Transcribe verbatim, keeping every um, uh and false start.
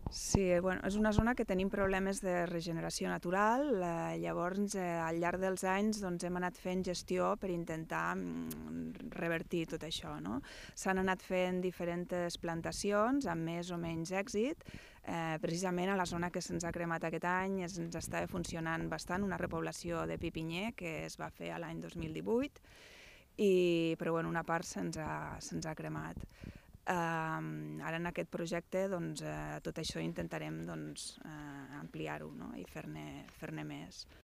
Sí, bueno, és una zona que tenim problemes de regeneració natural, eh, llavors eh, al llarg dels anys doncs, hem anat fent gestió per intentar mm, revertir tot això. No? S'han anat fent diferents plantacions amb més o menys èxit. Eh, precisament a la zona que se'ns ha cremat aquest any es, ens estava funcionant bastant una repoblació de pi pinyer que es va fer l'any dos mil divuit, i, però bueno, una part se'ns ha, se'ns ha cremat. Uh, ara en aquest projecte doncs, uh, tot això intentarem doncs, uh, ampliar-ho, no? I fer-ne fer-ne més.